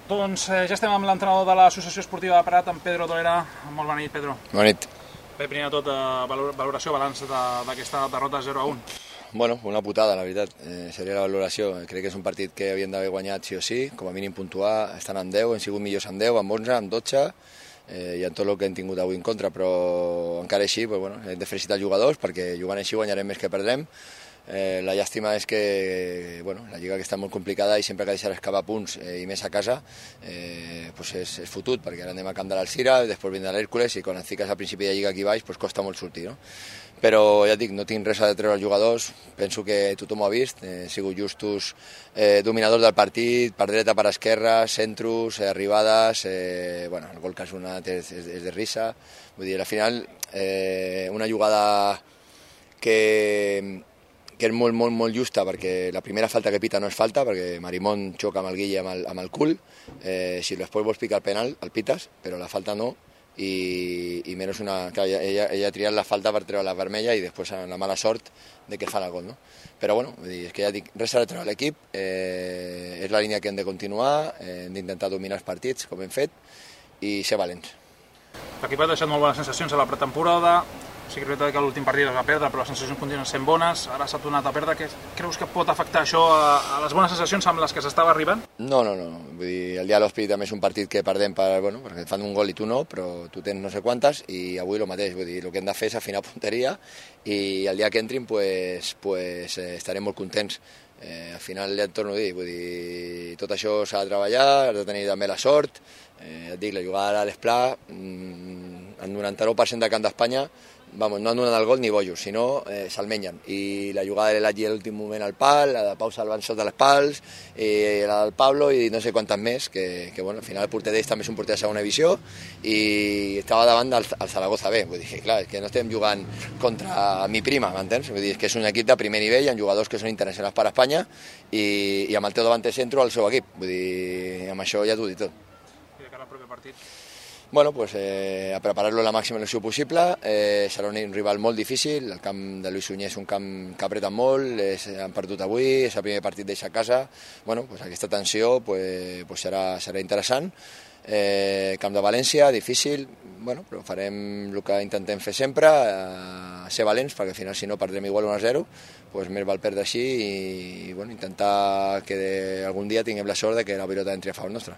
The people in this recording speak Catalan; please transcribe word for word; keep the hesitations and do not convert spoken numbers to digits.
Doncs eh, ja estem amb l'entrenador de l'Associació Esportiva de Prat, en Pedro Dolera. Molt bona nit, Pedro. Bona nit. Bé, primer de tot, eh, valoració, balanç d'aquesta de, derrota zero a un. Bueno, una putada, la veritat. Eh, seria la valoració. Crec que és un partit que havien d'haver guanyat sí o sí, com a mínim puntuar. Estan en deu, hem sigut millors en deu, en onze, en dotze, eh, i en tot el que hem tingut avui en contra, però encara així, pues, bueno, hem de felicitar els jugadors, perquè jugant així guanyarem més que perdrem. Eh, la llàstima és que bueno, la lliga que està molt complicada i sempre que deixaràs escapar punts eh, i més a casa eh, pues és, és fotut, perquè ara anem a camp de l'Alcira, després vindrà l'Hèrcules i quan et fiques al principi de lliga aquí baix pues costa molt sortir, no? Però ja et dic, no tinc res a treure als jugadors, penso que tothom ho ha vist, eh, he sigut justos eh, dominadors del partit, per dreta, per esquerra, centros, eh, arribades, eh, bueno, el gol que has donat és, és, és de risa, vull dir, al final eh, una jugada que que és molt, molt, molt justa, perquè la primera falta que pita no és falta, perquè Marimón xoca amb el Guille amb el, amb el cul, eh, si després vols picar el penal, el pites, però la falta no, i, i menys una... Clar, ella, ella ha triat la falta per treure la vermella i després la mala sort de que fan el gol, no? Però bueno, vull dir, és que ja dic, res a treure l'equip, eh, és la línia que hem de continuar, eh, hem d'intentar dominar els partits, com hem fet, i ser valents. L'equip ha deixat molt bones sensacions a la pretemporada. Sí que és veritat que l'últim partit es va perdre, però les sensacions continuen sent bones. Ara s'ha tornat a perdre. Què creus que pot afectar això a, a les bones sensacions amb les que s'estava arribant? No, no, no. Vull dir, el dia de l'Hospitalet també és un partit que perdem per, bueno, perquè fan un gol i tu no, però tu tens no sé quantes, i avui el mateix. Vull dir, el que hem de fer és afinar punteria i el dia que entrin pues, pues, eh, estarem molt contents. Eh, al final ja et torno a dir, vull dir, tot això s'ha de treballar, has de tenir també la sort. Eh, et dic, la jugada a l'Esplà, mmm, el noranta-nou per cent del camp d'Espanya, vamos, no han donat el gol ni bojos, sinó eh, se'l mengen. I la jugada de l'Elagi a l'últim moment al pal, la de Pau salvant sota les pals, i la del Pablo i no sé quantes més, que, que bueno, al final el porter d'ells també és un porter de segona divisió i estava davant del el Zaragoza B. Vull dir que clar, que no estem jugant contra mi prima, m'entens? Vull dir que és un equip de primer nivell, amb jugadors que són internacionals per a Espanya i, i amb el teu davant de centro al seu equip. Vull dir, amb això ja t'ho dic tot. I de cara al proper partit? Bueno, pues eh, a preparar-lo la màxima il·lusió possible, eh, serà un rival molt difícil, el camp de Lluís Sunyer és un camp que apreta molt, és, han perdut avui, és el primer partit d'eixa casa, bueno, pues aquesta tensió pues, pues serà, serà interessant, eh, camp de València, difícil, bueno, però farem el que intentem fer sempre, eh, ser valents, perquè al final si no perdrem igual un a zero, pues més val perdre així i, i bueno, intentar que algun dia tinguem la sort de que la pilota entri a favor nostre.